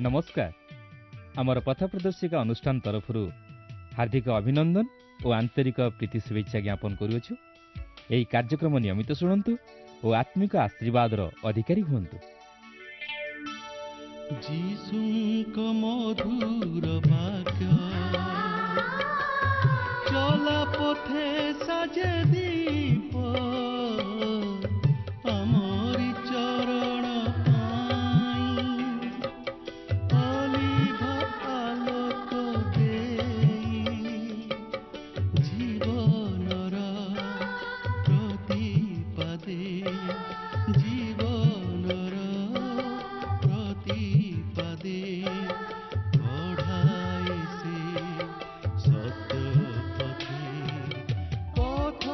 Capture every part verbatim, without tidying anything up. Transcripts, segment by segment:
ନମସ୍କାର। ଆମର ପଥ ପ୍ରଦର୍ଶିକା ଅନୁଷ୍ଠାନ ତରଫରୁ ହାର୍ଦ୍ଦିକ ଅଭିନନ୍ଦନ ଓ ଆନ୍ତରିକ ପ୍ରୀତି ଶୁଭେଚ୍ଛା ଜ୍ଞାପନ କରୁଅଛୁ। ଏହି କାର୍ଯ୍ୟକ୍ରମ ନିୟମିତ ଶୁଣନ୍ତୁ ଓ ଆତ୍ମିକ ଆଶୀର୍ବାଦର ଅଧିକାରୀ ହୁଅନ୍ତୁ। ଯୀଶୁଙ୍କ ମଧୁର ବାକ୍ୟ ଚଲା ପଥେ ସାଜେ ଦୀପ, ଆମରି ଚରଣ ପାଇଁ ଅଲିଭ ଆଲୋକ ଦେଇ, ଜୀବନର ପ୍ରତିପାଦେ, ଜୀବନର ପ୍ରତିପାଦେ କଢ଼ାଏ ସେ ସତ୍ୟ ପଥେ। ପଥ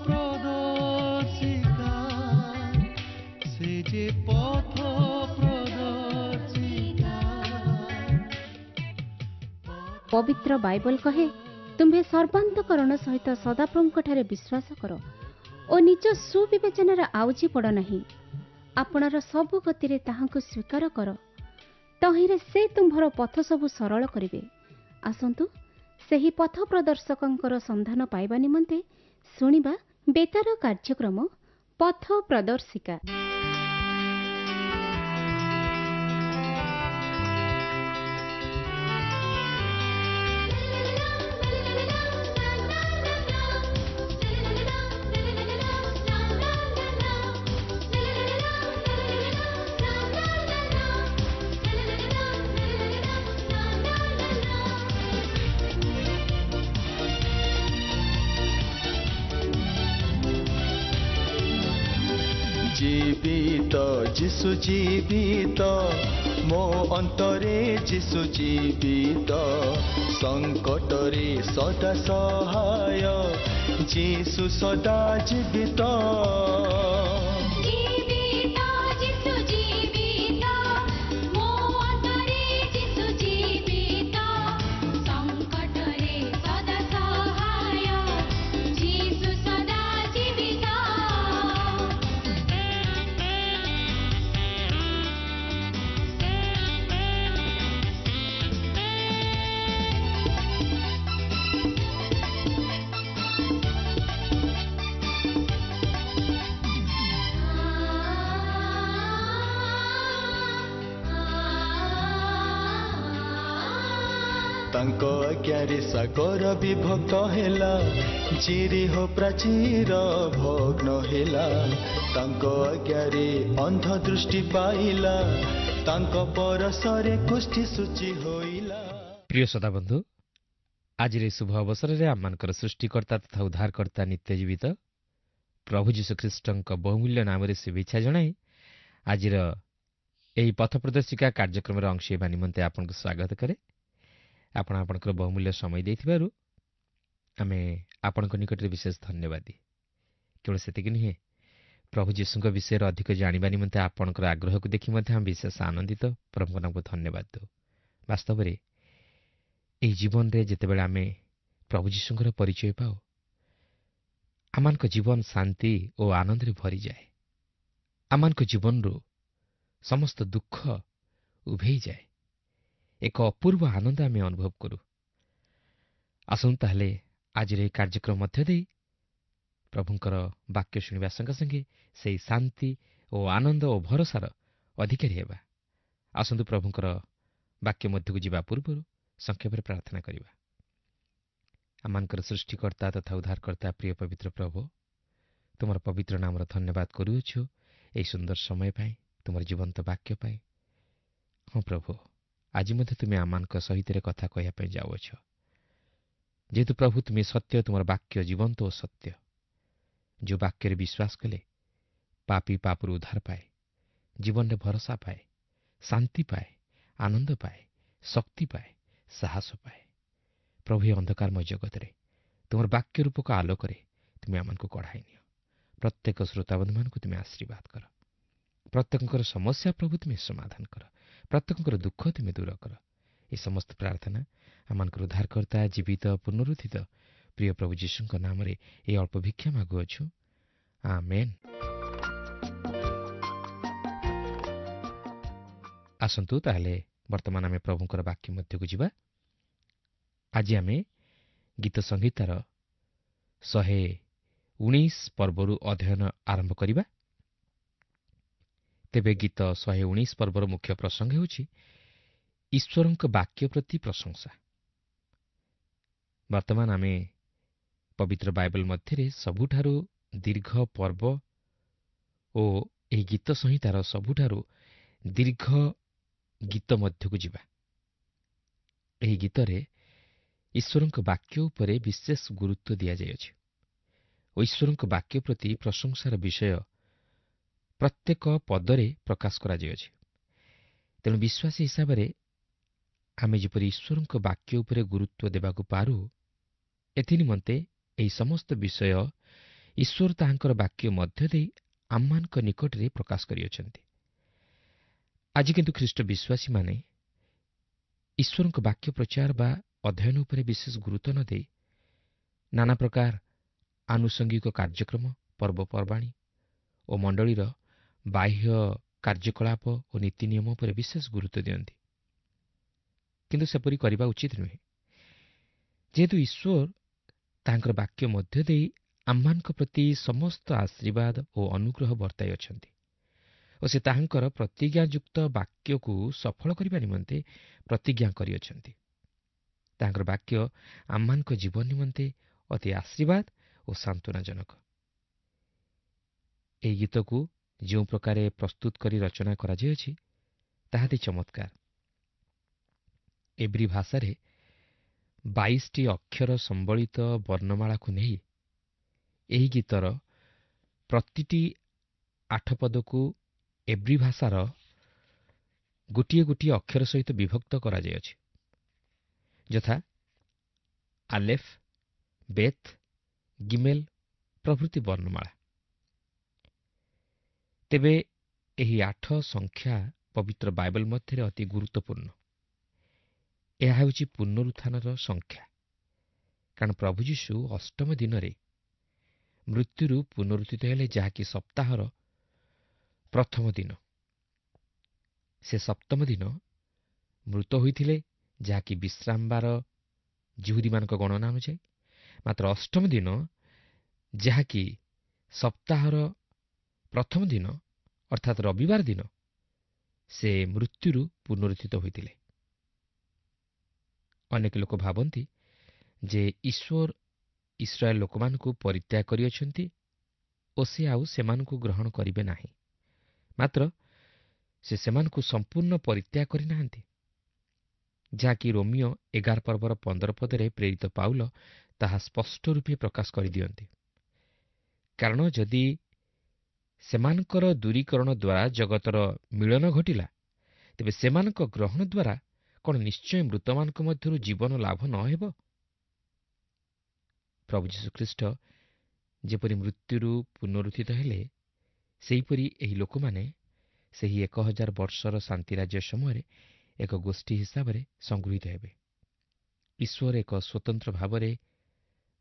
ପ୍ରଦର୍ଶିକା, ସେ ଯେ ପଥ ପ୍ରଦର୍ଶିକା। ପବିତ୍ର ବାଇବଲ କହେ, ତୁମ୍ଭେ ସର୍ବାନ୍ତକରଣ ସହିତ ସଦାପ୍ରଭୁଙ୍କଠାରେ ବିଶ୍ୱାସ କର ଓ ନିଜ ସୁବିବେଚନାରେ ଆଉଜି ପଡ଼ ନାହିଁ। ଆପଣାର ସବୁ ଗତିରେ ତାହାଙ୍କୁ ସ୍ୱୀକାର କର, ତହିଁରେ ସେ ତୁମ୍ଭର ପଥ ସବୁ ସରଳ କରିବେ। ଆସନ୍ତୁ ସେହି ପଥ ପ୍ରଦର୍ଶକଙ୍କର ସନ୍ଧାନ ପାଇବା ନିମନ୍ତେ ଶୁଣିବା ବେତାର କାର୍ଯ୍ୟକ୍ରମ ପଥ ପ୍ରଦର୍ଶିକା। ଜୀବିତ ଯୀଶୁ ଜୀବିତ, ମୋ ଅନ୍ତରେ ଯୀଶୁ ଜୀବିତ, ସଙ୍କଟରେ ସଦା ସହାୟ ଯୀଶୁ ସଦା ଜୀବିତ। ଜୀବିତ ଯୀଶୁ ଜୀବିତ, ମୋ ଅନ୍ତରେ ଯୀଶୁ ଜୀବିତ, ସଙ୍କଟରେ ସଦା ସହାୟ ଯୀଶୁ ସଦା ଜୀବିତ। ତାଙ୍କ ଆଜ୍ଞାରେ ସାଗର ବିଭକ୍ତ ହେଲା, ଜିରିହୋ ପ୍ରାଚୀର ଭଗ୍ନ ହେଲା। ତାଙ୍କ ଆଜ୍ଞାରେ ଅନ୍ଧ ଦୃଷ୍ଟି ପାଇଲା, ତାଙ୍କ ପରଶରେ କୁଷ୍ଠି ସୂଚି ହୋଇଲା। ପ୍ରିୟ ଶ୍ରୋତାବନ୍ଧୁ, ଆଜିର ଏହି ଶୁଭ ଅବସରରେ ଆମମାନଙ୍କର ସୃଷ୍ଟିକର୍ତ୍ତା ତଥା ଉଦ୍ଧାରକର୍ତ୍ତା ନିତ୍ୟଜୀବିତ ପ୍ରଭୁ ଯୀଶୁଖ୍ରୀଷ୍ଟଙ୍କ ବହୁମୂଲ୍ୟ ନାମରେ ଶୁଭେଚ୍ଛା ଜଣାଇ ଆଜିର ଏହି ପଥ ପ୍ରଦର୍ଶିକା କାର୍ଯ୍ୟକ୍ରମରେ ଅଂଶ ହେବା ନିମନ୍ତେ ଆପଣଙ୍କୁ ସ୍ୱାଗତ କରେ। ଆପଣ ଆପଣଙ୍କର ବହୁମୂଲ୍ୟ ସମୟ ଦେଇଥିବାରୁ ଆମେ ଆପଣଙ୍କ ନିକଟରେ ବିଶେଷ ଧନ୍ୟବାଦୀ। କେବଳ ସେତିକି ନୁହେଁ, ପ୍ରଭୁ ଯୀଶୁଙ୍କ ବିଷୟରେ ଅଧିକ ଜାଣିବା ନିମନ୍ତେ ଆପଣଙ୍କର ଆଗ୍ରହକୁ ଦେଖି ମଧ୍ୟ ଆମେ ବିଶେଷ ଆନନ୍ଦିତ। ପ୍ରଭୁଙ୍କ ନାମକୁ ଧନ୍ୟବାଦ ଦେଉ। ବାସ୍ତବରେ ଏହି ଜୀବନରେ ଯେତେବେଳେ ଆମେ ପ୍ରଭୁ ଯୀଶୁଙ୍କର ପରିଚୟ ପାଉ, ଆମମାନଙ୍କ ଜୀବନ ଶାନ୍ତି ଓ ଆନନ୍ଦରେ ଭରିଯାଏ। ଆମମାନଙ୍କ ଜୀବନରୁ ସମସ୍ତ ଦୁଃଖ ଉଭେଇଯାଏ। ଏକ ଅପୂର୍ବ ଆନନ୍ଦ ଆମେ ଅନୁଭବ କରୁ। ଆସନ୍ତୁ ତାହେଲେ ଆଜିର ଏହି କାର୍ଯ୍ୟକ୍ରମ ମଧ୍ୟ ଦେଇ ପ୍ରଭୁଙ୍କର ବାକ୍ୟ ଶୁଣିବା ସଙ୍ଗେ ସଙ୍ଗେ ସେହି ଶାନ୍ତି ଓ ଆନନ୍ଦ ଓ ଭରସାର ଅଧିକାରୀ ହେବା। ଆସନ୍ତୁ ପ୍ରଭୁଙ୍କର ବାକ୍ୟ ମଧ୍ୟକୁ ଯିବା ପୂର୍ବରୁ ସଂକ୍ଷେପରେ ପ୍ରାର୍ଥନା କରିବା। ଆମମାନଙ୍କର ସୃଷ୍ଟିକର୍ତ୍ତା ତଥା ଉଦ୍ଧାରକର୍ତ୍ତା ପ୍ରିୟ ପବିତ୍ର ପ୍ରଭୁ, ତୁମର ପବିତ୍ର ନାମର ଧନ୍ୟବାଦ କରୁଅଛୁ ଏହି ସୁନ୍ଦର ସମୟ ପାଇଁ, ତୁମର ଜୀବନ୍ତ ବାକ୍ୟ ପାଇଁ। ହଁ ପ୍ରଭୁ, ଆଜି ମଧ୍ୟ ତୁମେ ଆମମାନଙ୍କ ସହିତ କଥା କହିବା ପାଇଁ ଯାଉଅଛ। ଯେହେତୁ ପ୍ରଭୁ ତୁମେ ସତ୍ୟ, ତୁମର ବାକ୍ୟ ଜୀବନ୍ତ ଓ ସତ୍ୟ। ଯେଉଁ ବାକ୍ୟରେ ବିଶ୍ୱାସ କଲେ ପାପୀ ପାପରୁ ଉଦ୍ଧାର ପାଏ, ଜୀବନରେ ଭରସା ପାଏ, ଶାନ୍ତି ପାଏ, ଆନନ୍ଦ ପାଏ, ଶକ୍ତି ପାଏ, ସାହସ ପାଏ। ପ୍ରଭୁ, ଏ ଅନ୍ଧକାରମୟ ଜଗତରେ ତୁମର ବାକ୍ୟ ରୂପକ ଆଲୋକରେ ତୁମେ ଆମମାନଙ୍କୁ କଢ଼ାଇ ନିଅ। ପ୍ରତ୍ୟେକ ଶ୍ରୋତାବନ୍ଧୁମାନଙ୍କୁ ତୁମେ ଆଶୀର୍ବାଦ କର। ପ୍ରତ୍ୟେକଙ୍କର ସମସ୍ୟା ପ୍ରଭୁ ତୁମେ ସମାଧାନ କର। ପ୍ରତ୍ୟେକଙ୍କର ଦୁଃଖ ତୁମେ ଦୂର କର। ଏ ସମସ୍ତ ପ୍ରାର୍ଥନା ଆମମାନଙ୍କର ଉଦ୍ଧାରକର୍ତ୍ତା ଜୀବିତ ପୁନରୁତ୍ଥିତ ପ୍ରିୟ ପ୍ରଭୁ ଯୀଶୁଙ୍କ ନାମରେ ଏହି ଅଳ୍ପ ଭିକ୍ଷା ମାଗୁଅଛୁ, ଆମେନ୍। ଆସନ୍ତୁ ତାହେଲେ ବର୍ତ୍ତମାନ ଆମେ ପ୍ରଭୁଙ୍କର ବାକ୍ୟ ମଧ୍ୟକୁ ଯିବା। ଆଜି ଆମେ ଗୀତ ସଂହିତାର ଶହେ ଉଣେଇଶ ପର୍ବରୁ ଅଧ୍ୟୟନ ଆରମ୍ଭ କରିବା। ତେବେ ଗୀତ ଶହେ ଉଣେଇଶ ପର୍ବର ମୁଖ୍ୟ ପ୍ରସଙ୍ଗ ହେଉଛି ଈଶ୍ୱରଙ୍କ ବାକ୍ୟ ପ୍ରତି ପ୍ରଶଂସା। ବର୍ତ୍ତମାନ ଆମେ ପବିତ୍ର ବାଇବଲ ମଧ୍ୟରେ ସବୁଠାରୁ ଦୀର୍ଘ ପର୍ବ ଓ ଏହି ଗୀତ ସଂହିତାର ସବୁଠାରୁ ଦୀର୍ଘ ଗୀତ ମଧ୍ୟକୁ ଯିବା। ଏହି ଗୀତରେ ଈଶ୍ୱରଙ୍କ ବାକ୍ୟ ଉପରେ ବିଶେଷ ଗୁରୁତ୍ୱ ଦିଆଯାଇଅଛି ଓ ଈଶ୍ୱରଙ୍କ ବାକ୍ୟ ପ୍ରତି ପ୍ରଶଂସାର ବିଷୟ ପ୍ରତ୍ୟେକ ପଦରେ ପ୍ରକାଶ କରାଯାଇଅଛି। ତେଣୁ ବିଶ୍ୱାସୀ ହିସାବରେ ଆମେ ଯେପରି ଈଶ୍ୱରଙ୍କ ବାକ୍ୟ ଉପରେ ଗୁରୁତ୍ୱ ଦେବାକୁ ପାରୁ, ଏଥିନିମନ୍ତେ ଏହି ସମସ୍ତ ବିଷୟ ଈଶ୍ୱର ତାହାଙ୍କର ବାକ୍ୟ ମଧ୍ୟ ଦେଇ ଆମମାନଙ୍କ ନିକଟରେ ପ୍ରକାଶ କରିଅଛନ୍ତି। ଆଜି କିନ୍ତୁ ଖ୍ରୀଷ୍ଟ ବିଶ୍ୱାସୀମାନେ ଈଶ୍ୱରଙ୍କ ବାକ୍ୟ ପ୍ରଚାର ବା ଅଧ୍ୟୟନ ଉପରେ ବିଶେଷ ଗୁରୁତ୍ୱ ନ ଦେଇ ନାନା ପ୍ରକାର ଆନୁଷଙ୍ଗିକ କାର୍ଯ୍ୟକ୍ରମ, ପର୍ବପର୍ବାଣୀ ଓ ମଣ୍ଡଳୀର ବାହ୍ୟ କାର୍ଯ୍ୟକଳାପ ଓ ନୀତି ନିୟମ ଉପରେ ବିଶେଷ ଗୁରୁତ୍ୱ ଦିଅନ୍ତି। କିନ୍ତୁ ସେପରି କରିବା ଉଚିତ ନୁହେଁ, ଯେହେତୁ ଈଶ୍ୱର ତାଙ୍କର ବାକ୍ୟ ମଧ୍ୟ ଦେଇ ଆମମାନଙ୍କ ପ୍ରତି ସମସ୍ତ ଆଶୀର୍ବାଦ ଓ ଅନୁଗ୍ରହ ବର୍ତ୍ତାଇ ଅଛନ୍ତି ଓ ସେ ତାହାଙ୍କର ପ୍ରତିଜ୍ଞାଯୁକ୍ତ ବାକ୍ୟକୁ ସଫଳ କରିବା ନିମନ୍ତେ ପ୍ରତିଜ୍ଞା କରିଅଛନ୍ତି। ତାହାଙ୍କର ବାକ୍ୟ ଆମମାନଙ୍କ ଜୀବନ ନିମନ୍ତେ ଅତି ଆଶୀର୍ବାଦ ଓ ସାନ୍ତ୍ୱନାଜନକ। ଏହି ଗୀତକୁ ଯେଉଁ ପ୍ରକାରେ ପ୍ରସ୍ତୁତ କରି ରଚନା କରାଯାଇଅଛି ତାହା ଅତି ଚମତ୍କାର। ଏବ୍ରୀ ଭାଷାରେ ବାଇଶଟି ଅକ୍ଷର ସମ୍ବଳିତ ବର୍ଣ୍ଣମାଳାକୁ ନେଇ ଏହି ଗୀତର ପ୍ରତିଟି ଆଠ ପଦକୁ ଏବ୍ରୀ ଭାଷାର ଗୋଟିଏ ଗୋଟିଏ ଅକ୍ଷର ସହିତ ବିଭକ୍ତ କରାଯାଇଅଛି, ଯଥା ଆଲେଫ୍, ବେଥ୍, ଗିମେଲ୍ ପ୍ରଭୃତି ବର୍ଣ୍ଣମାଳା। ତେବେ ଏହି ଆଠ ସଂଖ୍ୟା ପବିତ୍ର ବାଇବଲ ମଧ୍ୟରେ ଅତି ଗୁରୁତ୍ୱପୂର୍ଣ୍ଣ। ଏହା ହେଉଛି ପୁନରୁତ୍ଥାନର ସଂଖ୍ୟା, କାରଣ ପ୍ରଭୁ ଯୀଶୁ ଅଷ୍ଟମ ଦିନରେ ମୃତ୍ୟୁରୁ ପୁନରୁତ୍ଥିତ ହେଲେ, ଯାହାକି ସପ୍ତାହର ପ୍ରଥମ ଦିନ। ସେ ସପ୍ତମ ଦିନ ମୃତ ହୋଇଥିଲେ, ଯାହାକି ବିଶ୍ରାମବାର ଯିହୁଦୀମାନଙ୍କ ଗଣନା ଅନୁଯାୟୀ। ମାତ୍ର ଅଷ୍ଟମ ଦିନ, ଯାହାକି ସପ୍ତାହର ପ୍ରଥମ ଦିନ ଅର୍ଥାତ୍ ରବିବାର ଦିନ, ସେ ମୃତ୍ୟୁରୁ ପୁନରୁତ୍ଥିତ ହୋଇଥିଲେ। ଅନେକ ଲୋକ ଭାବନ୍ତି ଯେ ଈଶ୍ୱର ଇସ୍ରାଏଲ ଲୋକମାନଙ୍କୁ ପରିତ୍ୟାଗ କରିଅଛନ୍ତି ଓ ସେ ଆଉ ସେମାନଙ୍କୁ ଗ୍ରହଣ କରିବେ ନାହିଁ। ମାତ୍ର ସେ ସେମାନଙ୍କୁ ସମ୍ପୂର୍ଣ୍ଣ ପରିତ୍ୟାଗ କରିନାହାନ୍ତି, ଯାହାକି ରୋମିଓ ଏଗାର ପର୍ବର ପନ୍ଦର ପଦରେ ପ୍ରେରିତ ପାଉଲ ତାହା ସ୍ପଷ୍ଟ ରୂପେ ପ୍ରକାଶ କରିଦିଅନ୍ତି। କାରଣ ଯଦି ସେମାନଙ୍କର ଦୂରୀକରଣ ଦ୍ୱାରା ଜଗତର ମିଳନ ଘଟିଲା, ତେବେ ସେମାନଙ୍କ ଗ୍ରହଣ ଦ୍ୱାରା କ'ଣ ନିଶ୍ଚୟ ମୃତମାନଙ୍କ ମଧ୍ୟରୁ ଜୀବନ ଲାଭ ନ ହେବ? ପ୍ରଭୁ ଯୀଶୁଖ୍ରୀଷ୍ଟ ଯେପରି ମୃତ୍ୟୁରୁ ପୁନରୁତ୍ଥିତ ହେଲେ, ସେହିପରି ଏହି ଲୋକମାନେ ସେହି ଏକ ହଜାର ବର୍ଷର ଶାନ୍ତିରାଜ୍ୟ ସମୟରେ ଏକ ଗୋଷ୍ଠୀ ହିସାବରେ ସଂଗୃହୀତ ହେବେ। ଈଶ୍ୱର ଏକ ସ୍ୱତନ୍ତ୍ର ଭାବରେ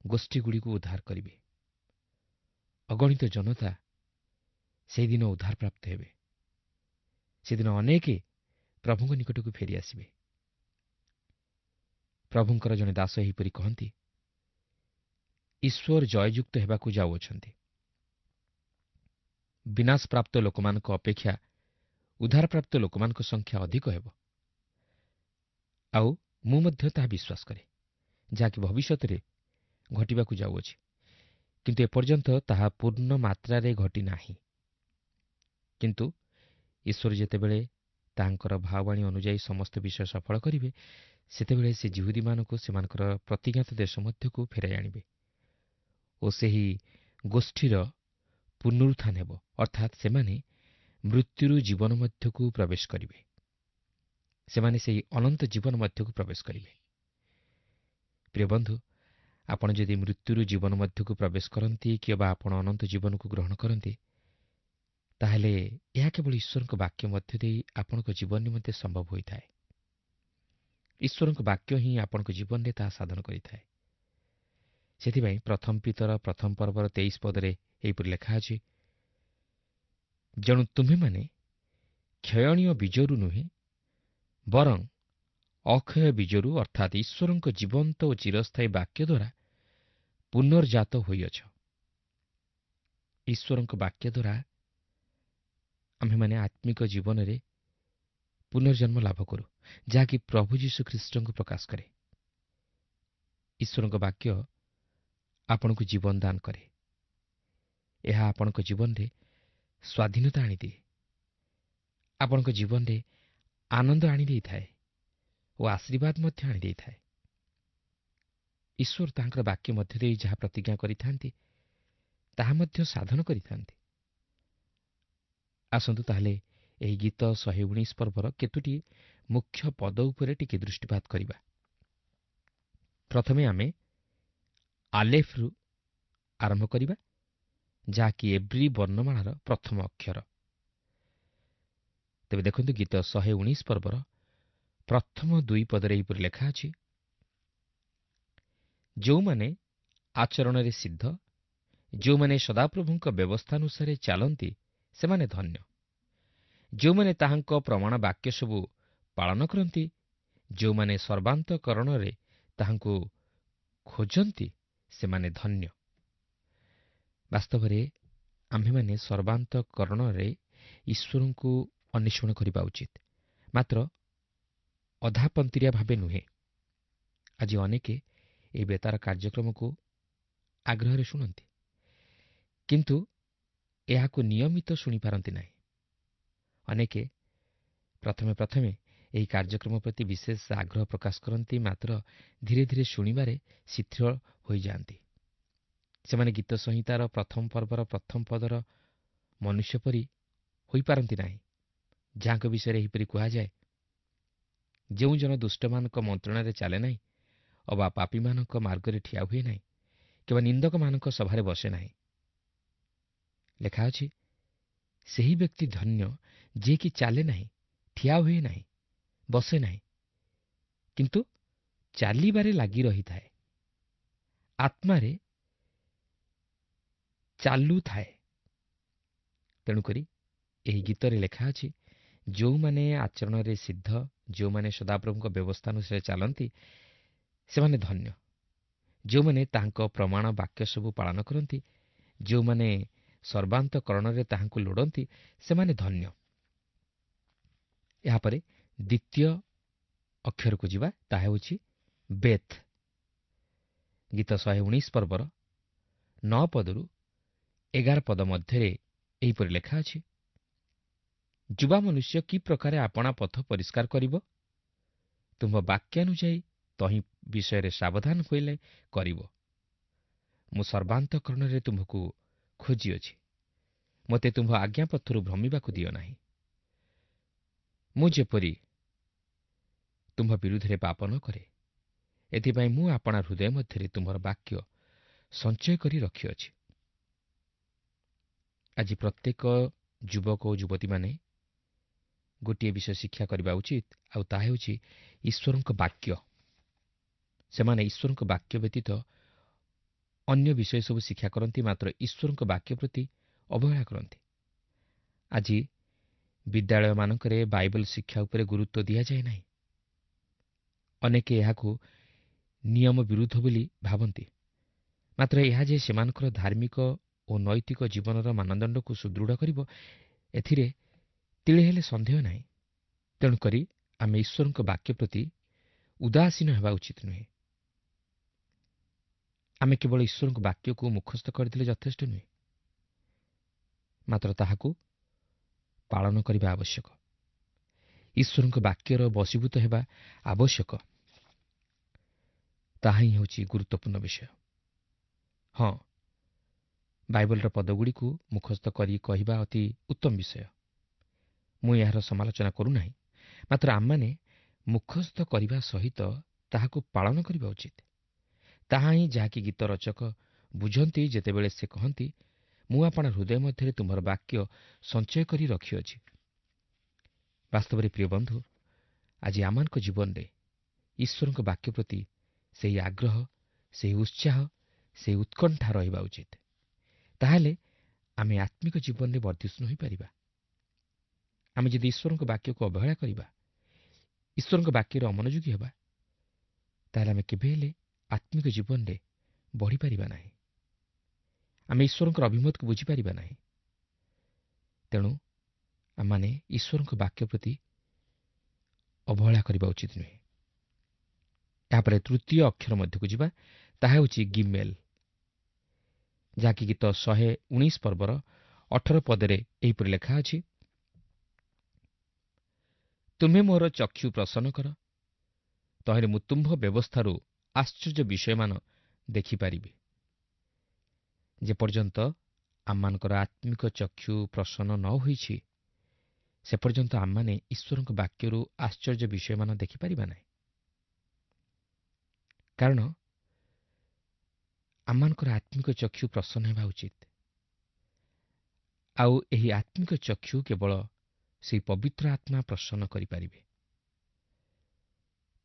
ଗୋଷ୍ଠୀଗୁଡ଼ିକୁ ଉଦ୍ଧାର କରିବେ। ଅଗଣିତ ଜନତା ସେହିଦିନ ଉଦ୍ଧାରପ୍ରାପ୍ତ ହେବେ। ସେଦିନ ଅନେକ ପ୍ରଭୁଙ୍କ ନିକଟକୁ ଫେରିଆସିବେ। ପ୍ରଭୁଙ୍କର ଜଣେ ଦାସ ଏହିପରି କହନ୍ତି, ଈଶ୍ୱର ଜୟଯୁକ୍ତ ହେବାକୁ ଯାଉଅଛନ୍ତି। ବିନାଶପ୍ରାପ୍ତ ଲୋକମାନଙ୍କ ଅପେକ୍ଷା ଉଦ୍ଧାରପ୍ରାପ୍ତ ଲୋକମାନଙ୍କ ସଂଖ୍ୟା ଅଧିକ ହେବ। ଆଉ ମୁଁ ମଧ୍ୟ ତାହା ବିଶ୍ୱାସ କରେ, ଯାହାକି ଭବିଷ୍ୟତରେ ଘଟିବାକୁ ଯାଉଅଛି, କିନ୍ତୁ ଏପର୍ଯ୍ୟନ୍ତ ତାହା ପୂର୍ଣ୍ଣ ମାତ୍ରାରେ ଘଟିନାହିଁ। କିନ୍ତୁ ଈଶ୍ୱର ଯେତେବେଳେ ତାଙ୍କର ଭାବବାଣୀ ଅନୁଯାୟୀ ସମସ୍ତ ବିଷୟ ସଫଳ କରିବେ, ସେତେବେଳେ ସେ ଯିହୁଦୀମାନଙ୍କୁ ସେମାନଙ୍କର ପ୍ରତିଜ୍ଞାତ ଦେଶ ମଧ୍ୟକୁ ଫେରାଇ ଆଣିବେ ଓ ସେହି ଗୋଷ୍ଠୀର ପୁନରୁତ୍ଥାନ ହେବ, ଅର୍ଥାତ୍ ସେମାନେ ମୃତ୍ୟୁରୁ ଜୀବନ ମଧ୍ୟକୁ ପ୍ରବେଶ କରିବେ। ସେମାନେ ସେହି ଅନନ୍ତ ଜୀବନ ମଧ୍ୟକୁ ପ୍ରବେଶ କରିବେ। ପ୍ରିୟ ବନ୍ଧୁ, ଆପଣ ଯଦି ମୃତ୍ୟୁରୁ ଜୀବନ ମଧ୍ୟକୁ ପ୍ରବେଶ କରନ୍ତି କିମ୍ବା ଆପଣ ଅନନ୍ତ ଜୀବନକୁ ଗ୍ରହଣ କରନ୍ତି, ତାହେଲେ ଏହା କେବଳ ଈଶ୍ୱରଙ୍କ ବାକ୍ୟ ମଧ୍ୟ ଦେଇ ଆପଣଙ୍କ ଜୀବନ ନିମନ୍ତେ ସମ୍ଭବ ହୋଇଥାଏ। ଈଶ୍ୱରଙ୍କ ବାକ୍ୟ ହିଁ ଆପଣଙ୍କ ଜୀବନରେ ତାହା ସାଧନ କରିଥାଏ। ସେଥିପାଇଁ ପ୍ରଥମ ପିତର ପ୍ରଥମ ପର୍ବର ତେଇଶ ପଦରେ ଏହିପରି ଲେଖା ଅଛି, ଯେଣୁ ତୁମ୍ଭେମାନେ କ୍ଷୟଣୀୟ ବୀଜରୁ ନୁହେଁ, ବରଂ ଅକ୍ଷୟ ବୀଜରୁ ଅର୍ଥାତ୍ ଈଶ୍ୱରଙ୍କ ଜୀବନ୍ତ ଓ ଚିରସ୍ଥାୟୀ ବାକ୍ୟ ଦ୍ୱାରା ପୁନର୍ଜାତ ହୋଇଅଛ। ଈଶ୍ୱରଙ୍କ ବାକ୍ୟ ଦ୍ୱାରା ଆମ୍ଭେମାନେ ଆତ୍ମିକ ଜୀବନରେ ପୁନର୍ଜନ୍ମ ଲାଭ କରୁ, ଯାହାକି ପ୍ରଭୁ ଯୀଶୁଖ୍ରୀଷ୍ଟଙ୍କୁ ପ୍ରକାଶ କରେ। ଈଶ୍ୱରଙ୍କ ବାକ୍ୟ ଆପଣଙ୍କୁ ଜୀବନ ଦାନ କରେ। ଏହା ଆପଣଙ୍କ ଜୀବନରେ ସ୍ୱାଧୀନତା ଆଣିଦିଏ, ଆପଣଙ୍କ ଜୀବନରେ ଆନନ୍ଦ ଆଣିଦେଇଥାଏ ଓ ଆଶୀର୍ବାଦ ମଧ୍ୟ ଆଣିଦେଇଥାଏ। ଈଶ୍ୱର ତାଙ୍କର ବାକ୍ୟ ମଧ୍ୟ ଦେଇ ଯାହା ପ୍ରତିଜ୍ଞା କରିଥାନ୍ତି ତାହା ମଧ୍ୟ ସାଧନ କରିଥାନ୍ତି। ଆସନ୍ତୁ ତାହେଲେ ଏହି ଗୀତ ଶହେ ଉଣେଇଶ ପର୍ବର କେତୋଟି ମୁଖ୍ୟ ପଦ ଉପରେ ଟିକେ ଦୃଷ୍ଟିପାତ କରିବା। ପ୍ରଥମେ ଆମେ ଆଲେଫରୁ ଆରମ୍ଭ କରିବା, ଯାହାକି ଏବ୍ରୀ ବର୍ଣ୍ଣମାଳାର ପ୍ରଥମ ଅକ୍ଷର। ତେବେ ଦେଖନ୍ତୁ, ଗୀତ ଶହେ ଉଣେଇଶ ପର୍ବର ପ୍ରଥମ ଦୁଇ ପଦରେ ଏହିପରି ଲେଖା ଅଛି, ଯେଉଁମାନେ ଆଚରଣରେ ସିଦ୍ଧ, ଯେଉଁମାନେ ସଦାପ୍ରଭୁଙ୍କ ବ୍ୟବସ୍ଥାନୁସାରେ ଚାଲନ୍ତି, ସେମାନେ ଧନ୍ୟ। ଯେଉଁମାନେ ତାହାଙ୍କ ପ୍ରମାଣ ବାକ୍ୟ ସବୁ ପାଳନ କରନ୍ତି, ଯେଉଁମାନେ ସର୍ବାନ୍ତକରଣରେ ତାହାଙ୍କୁ ଖୋଜନ୍ତି, ସେମାନେ ଧନ୍ୟ। ବାସ୍ତବରେ ଆମ୍ଭେମାନେ ସର୍ବାନ୍ତକରଣରେ ଈଶ୍ୱରଙ୍କୁ ଅନ୍ୱେଷଣ କରିବା ଉଚିତ, ମାତ୍ର ଅଧାପନ୍ତିରିଆ ଭାବେ ନୁହେଁ। ଆଜି ଅନେକେ ଏହି ବେତାର କାର୍ଯ୍ୟକ୍ରମକୁ ଆଗ୍ରହରେ ଶୁଣନ୍ତି, କିନ୍ତୁ ଏହାକୁ ନିୟମିତ ଶୁଣିପାରନ୍ତି ନାହିଁ। ଅନେକେ ପ୍ରଥମେ ପ୍ରଥମେ ଏହି କାର୍ଯ୍ୟକ୍ରମ ପ୍ରତି ବିଶେଷ ଆଗ୍ରହ ପ୍ରକାଶ କରନ୍ତି, ମାତ୍ର ଧୀରେ ଧୀରେ ଶୁଣିବାରେ ଶିଥିଳ ହୋଇଯାଆନ୍ତି। ସେମାନେ ଗୀତ ସଂହିତାର ପ୍ରଥମ ପର୍ବର ପ୍ରଥମ ପଦର ମନୁଷ୍ୟ ପରି ହୋଇପାରନ୍ତି ନାହିଁ, ଯାହାଙ୍କ ବିଷୟରେ ଏହିପରି କୁହାଯାଏ, ଯେଉଁ ଜନ ଦୁଷ୍ଟମାନଙ୍କ ମନ୍ତ୍ରଣାରେ ଚାଲେ ନାହିଁ, ଅବା ପାପୀମାନଙ୍କ ମାର୍ଗରେ ଠିଆ ହୁଏ ନାହିଁ, କିମ୍ବା ନିନ୍ଦକମାନଙ୍କ ସଭାରେ ବସେ ନାହିଁ। ଲେଖା ଅଛି, ସେହି ବ୍ୟକ୍ତି ଧନ୍ୟ ଯିଏକି ଚାଲେ ନାହିଁ, ଠିଆ ହୁଏ ନାହିଁ, ବସେ ନାହିଁ, କିନ୍ତୁ ଚାଲିବାରେ ଲାଗି ରହିଥାଏ, ଆତ୍ମାରେ ଚାଲୁଥାଏ। ତେଣୁକରି ଏହି ଗୀତରେ ଲେଖା ଅଛି, ଯେଉଁମାନେ ଆଚରଣରେ ସିଦ୍ଧ, ଯେଉଁମାନେ ସଦାପ୍ରଭୁଙ୍କ ବ୍ୟବସ୍ଥା ଅନୁସାରେ ଚାଲନ୍ତି, ସେମାନେ ଧନ୍ୟ। ଯେଉଁମାନେ ତାହାଙ୍କ ପ୍ରମାଣ ବାକ୍ୟ ସବୁ ପାଳନ କରନ୍ତି, ଯେଉଁମାନେ ସର୍ବାନ୍ତକରଣରେ ତାହାଙ୍କୁ ଲୋଡ଼ନ୍ତି, ସେମାନେ ଧନ୍ୟ। ଏହାପରେ ଦ୍ୱିତୀୟ ଅକ୍ଷରକୁ ଯିବା, ତାହା ହେଉଛି ବେଥ୍। ଗୀତ ଶହେ ଉଣେଇଶ ପର୍ବର ନଅ ପଦରୁ ଏଗାର ପଦ ମଧ୍ୟରେ ଏହିପରି ଲେଖା ଅଛି, ଯୁବା ମନୁଷ୍ୟ କି ପ୍ରକାରେ ଆପଣା ପଥ ପରିଷ୍କାର କରିବ? ତୁମ୍ଭ ବାକ୍ୟାନୁଯାୟୀ ତହିଁ ବିଷୟରେ ସାବଧାନ ହୋଇଲେ କରିବ। ମୁଁ ସର୍ବାନ୍ତକରଣରେ ତୁମ୍ଭକୁ ଖୋଜିଅଛି, ମୋତେ ତୁମ୍ଭ ଆଜ୍ଞାପଥରୁ ଭ୍ରମିବାକୁ ଦିଅ ନାହିଁ। ମୁଁ ଯେପରି ତୁମ୍ଭ ବିରୁଦ୍ଧରେ ପାପ ନ କରେ, ଏଥିପାଇଁ ମୁଁ ଆପଣା ହୃଦୟ ମଧ୍ୟରେ ତୁମ୍ଭର ବାକ୍ୟ ସଞ୍ଚୟ କରି ରଖିଅଛି। ଆଜି ପ୍ରତ୍ୟେକ ଯୁବକ ଓ ଯୁବତୀମାନେ ଗୋଟିଏ ବିଷୟ ଶିକ୍ଷା କରିବା ଉଚିତ, ଆଉ ତାହା ହେଉଛି ଈଶ୍ୱରଙ୍କ ବାକ୍ୟ। ସେମାନେ ଈଶ୍ୱରଙ୍କ ବାକ୍ୟ ବ୍ୟତୀତ ଅନ୍ୟ ବିଷୟ ସବୁ ଶିକ୍ଷା କରନ୍ତି, ମାତ୍ର ଈଶ୍ୱରଙ୍କ ବାକ୍ୟ ପ୍ରତି ଅବହେଳା କରନ୍ତି। ଆଜି ବିଦ୍ୟାଳୟମାନଙ୍କରେ ବାଇବଲ ଶିକ୍ଷା ଉପରେ ଗୁରୁତ୍ୱ ଦିଆଯାଏ ନାହିଁ। ଅନେକେ ଏହାକୁ ନିୟମ ବିରୁଦ୍ଧ ବୋଲି ଭାବନ୍ତି, ମାତ୍ର ଏହା ଯେ ସେମାନଙ୍କର ଧାର୍ମିକ ଓ ନୈତିକ ଜୀବନର ମାନଦଣ୍ଡକୁ ସୁଦୃଢ଼ କରିବ, ଏଥିରେ ତିଳେ ହେଲେ ସନ୍ଦେହ ନାହିଁ। ତେଣୁକରି ଆମେ ଈଶ୍ୱରଙ୍କ ବାକ୍ୟ ପ୍ରତି ଉଦାସୀନ ହେବା ଉଚିତ ନୁହେଁ। ଆମେ କେବଳ ଈଶ୍ୱରଙ୍କ ବାକ୍ୟକୁ ମୁଖସ୍ଥ କରିଦେଲେ ଯଥେଷ୍ଟ ନୁହେଁ, ମାତ୍ର ତାହାକୁ ପାଳନ କରିବା ଆବଶ୍ୟକ। ଈଶ୍ୱରଙ୍କ ବାକ୍ୟର ବଶୀଭୂତ ହେବା ଆବଶ୍ୟକ। ତାହା ହିଁ ହେଉଛି ଗୁରୁତ୍ୱପୂର୍ଣ୍ଣ ବିଷୟ। ହଁ, ବାଇବଲର ପଦଗୁଡ଼ିକୁ ମୁଖସ୍ଥ କରି କହିବା ଅତି ଉତ୍ତମ ବିଷୟ। ମୁଁ ଏହାର ସମାଲୋଚନା କରୁନାହିଁ, ମାତ୍ର ଆମମାନେ ମୁଖସ୍ଥ କରିବା ସହିତ ତାହାକୁ ପାଳନ କରିବା ଉଚିତ। ତାହା ହିଁ ଯାହାକି ଗୀତ ରଚକ ବୁଝନ୍ତି ଯେତେବେଳେ ସେ କହନ୍ତି, ମୁଁ ଆପଣା ହୃଦୟ ମଧ୍ୟରେ ତୁମର ବାକ୍ୟ ସଞ୍ଚୟ କରି ରଖିଅଛି। ବାସ୍ତବରେ ପ୍ରିୟ ବନ୍ଧୁ, ଆଜି ଆମମାନଙ୍କ ଜୀବନରେ ଈଶ୍ୱରଙ୍କ ବାକ୍ୟ ପ୍ରତି ସେହି ଆଗ୍ରହ, ସେହି ଉତ୍ସାହ, ସେହି ଉତ୍କଣ୍ଠା ରହିବା ଉଚିତ। ତାହେଲେ ଆମେ ଆତ୍ମିକ ଜୀବନରେ ବର୍ଦ୍ଧିଷ୍ଣୁ ହୋଇପାରିବା। ଆମେ ଯଦି ଈଶ୍ୱରଙ୍କ ବାକ୍ୟକୁ ଅବହେଳା କରିବା, ଈଶ୍ୱରଙ୍କ ବାକ୍ୟରେ ଅମନୋଯୋଗୀ ହେବା, ତାହେଲେ ଆମେ କେବେ ହେଲେ ଆତ୍ମିକ ଜୀବନରେ ବଢ଼ିପାରିବା ନାହିଁ। ଆମେ ଈଶ୍ୱରଙ୍କର ଅଭିମତକୁ ବୁଝିପାରିବା ନାହିଁ। ତେଣୁ ଆମମାନେ ଈଶ୍ୱରଙ୍କ ବାକ୍ୟ ପ୍ରତି ଅବହେଳା କରିବା ଉଚିତ ନୁହେଁ। ଏହାପରେ ତୃତୀୟ ଅକ୍ଷର ମଧ୍ୟକୁ ଯିବା, ତାହା ହେଉଛି ଗିମେଲ୍, ଯାହାକି ଗୀତ ଶହେ ଉଣେଇଶ ପର୍ବର ଅଠର ପଦରେ ଏହିପରି ଲେଖା ଅଛି, ତୁମେ ମୋର ଚକ୍ଷୁ ପ୍ରସନ୍ନ କର, ତହିଁରେ ମୁଁ ତୁମ୍ଭ ବ୍ୟବସ୍ଥାରୁ ଆଶ୍ଚର୍ଯ୍ୟ ବିଷୟମାନ ଦେଖିପାରିବି। ଯେପର୍ଯ୍ୟନ୍ତ ଆମମାନଙ୍କର ଆତ୍ମିକ ଚକ୍ଷୁ ପ୍ରସନ୍ନ ନ ହୋଇଛି, ସେ ପର୍ଯ୍ୟନ୍ତ ଆମମାନେ ଈଶ୍ୱରଙ୍କ ବାକ୍ୟରୁ ଆଶ୍ଚର୍ଯ୍ୟ ବିଷୟମାନ ଦେଖିପାରିବା ନାହିଁ। କାରଣ ଆମମାନଙ୍କର ଆତ୍ମିକ ଚକ୍ଷୁ ପ୍ରସନ୍ନ ହେବା ଉଚିତ। ଆଉ ଏହି ଆତ୍ମିକ ଚକ୍ଷୁ କେବଳ ସେହି ପବିତ୍ର ଆତ୍ମା ପ୍ରସନ୍ନ କରିପାରିବେ।